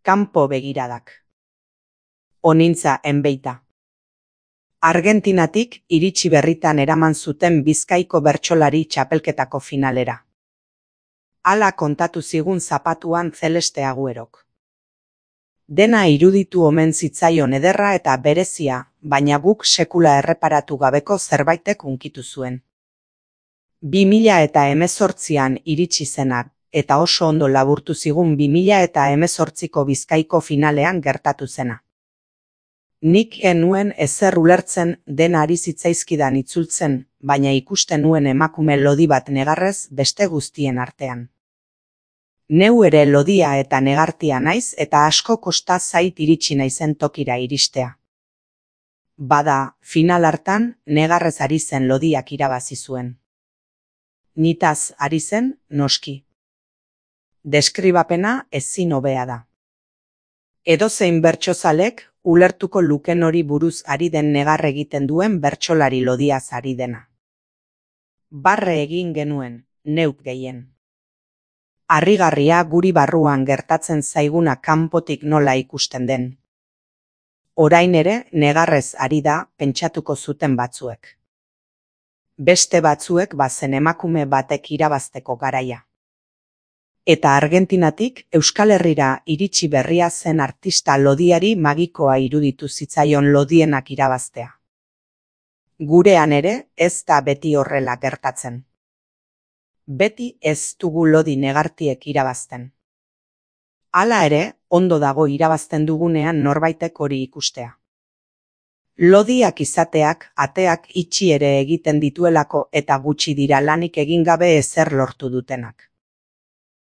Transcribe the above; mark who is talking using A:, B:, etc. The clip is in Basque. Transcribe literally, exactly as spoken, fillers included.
A: Kanpo begiradak. Onintza enbeita. Argentinatik iritsi berritan eraman zuten Bizkaiko bertsolari txapelketako finalera. Hala kontatu zigun zapatuan Celeste Aguerok. Dena iruditu omen zitzaion ederra eta berezia, baina guk sekula erreparatu gabeko zerbaitek hunkitu zuen. bi mila eta hemezortzian iritsi zenak, eta oso ondo laburtu zigun bi mila eta hemezortziko Bizkaiko finalean gertatu zena. Nik genuen ezer ulertzen dena ari zitzaizkidan itzultzen, baina ikusten nuen emakume lodi bat negarrez beste guztien artean. Neu ere lodia eta negartia naiz eta asko kosta zait iritsi naizen tokira iristea. Bada, final hartan negarrez ari zen lodiak irabazi zuen. Nitaz ari zen, noski. Deskribapena ezin hobea da. Edozein bertsozalek ulertuko luken hori buruz ari den negar egiten duen bertsolari lodiaz ari dena. Barre egin genuen, neuk gehien. Harrigarria guri barruan gertatzen zaiguna kanpotik nola ikusten den. Orain ere negarrez ari da pentsatuko zuten batzuek. Beste batzuek bazen emakume batek irabazteko garaia. Eta Argentinatik Euskal Herrira iritsi berria zen artista lodiari magikoa iruditu zitzaion lodienak irabaztea. Gurean ere ez da beti horrela gertatzen. Beti ez dugu lodi negartiek irabazten. Hala ere, ondo dago irabazten dugunean norbaitek hori ikustea. Lodiak izateak ateak itxi ere egiten dituelako eta gutxi dira lanik egin gabe ezer lortu dutenak.